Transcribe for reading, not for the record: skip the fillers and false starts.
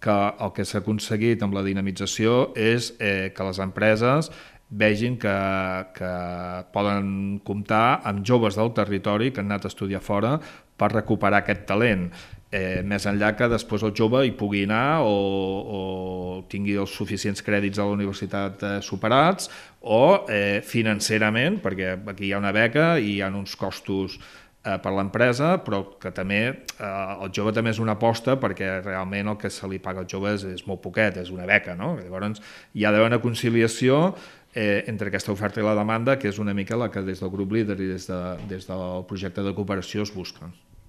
que el que s'ha aconseguit amb la dinamització és que les empreses vegin que poden comptar amb joves del territori que han anat a estudiar fora per recuperar aquest talent. Més enllà que després el jove hi pugui anar o tingui els suficients crèdits a la universitat superats o financerament, perquè aquí hi ha una beca i hi ha uns costos per l'empresa, però que també el jove també és una aposta perquè realment el que se li paga als joves és molt poquet, és una beca, no? Llavors hi ha d'haver una conciliació entre aquesta oferta i la demanda, que és una mica la que des del grup líder i des del projecte de cooperació es busca.